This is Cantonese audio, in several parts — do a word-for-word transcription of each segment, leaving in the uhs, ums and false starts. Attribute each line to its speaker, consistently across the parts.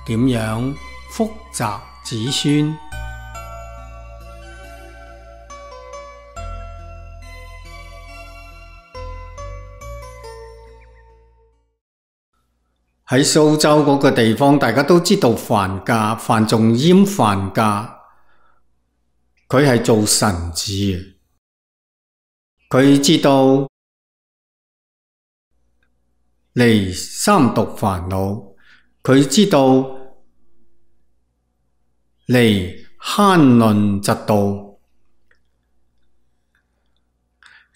Speaker 1: 點樣福澤子孫。喺蘇州嗰個地方，大家都知道范家，范仲淹范家，佢係做臣子嘅，佢知道離三毒煩惱，佢知道離慳吝嫉妒，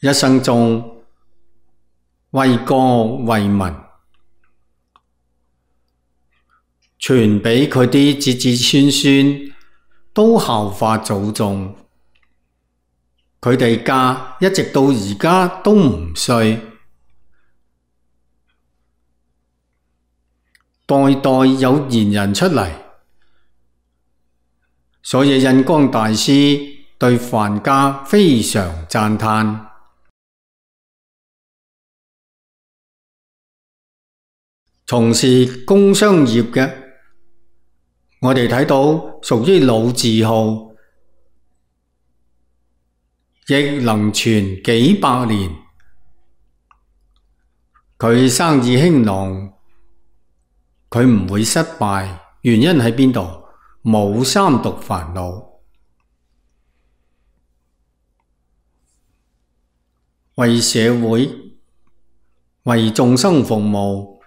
Speaker 1: 一生中為國為民，傳畀佢啲子子孫孫都效法祖宗，佢哋家一直到而家都唔衰，代代有賢人出嚟，所以印光大師對范家非常讚嘆。從事工商業嘅，我哋睇到屬於老字號，亦能傳幾百年。佢生意興隆，佢唔會失敗，原因喺邊度？冇三毒煩惱，為社會、為眾生服務，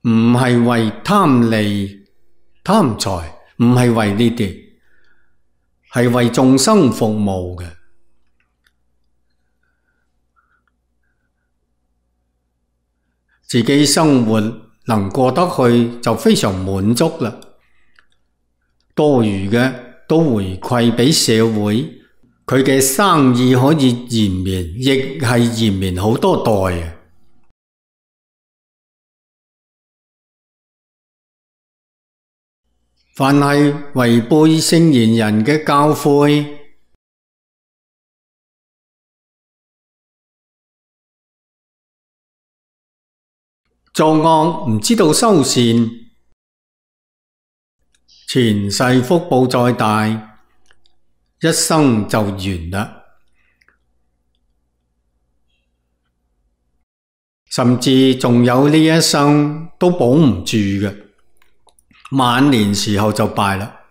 Speaker 1: 唔係為貪利貪財，唔係為呢啲，係為眾生服務嘅。自己生活能過得去就非常滿足啦，多餘嘅都回饋畀社會，佢嘅生意可以延綿，亦係延綿好多代嘅。凡係違背聖賢人嘅教誨，作惡唔知道修善，前世福報再大，一生就完啦。甚至仲有呢一生都保唔住嘅，晚年時候就敗啦。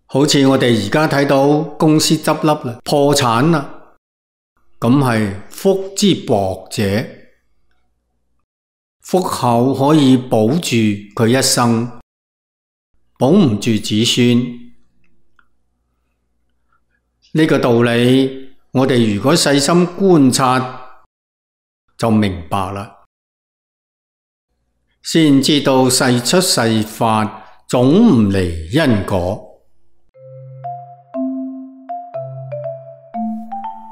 Speaker 1: 好似我哋而家睇到公司執笠啦，破產啦，咁係福之薄者，福厚可以保住佢一生，保唔住子孫。呢個道理，我哋如果細心觀察，就明白啦，先知道世出世法總唔離因果。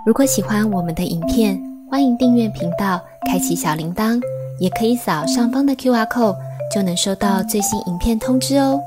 Speaker 2: 如果喜歡我們的影片，歡迎訂閱頻道，開啟小鈴鐺，也可以掃上方的 Q R code，就能收到最新影片通知哦。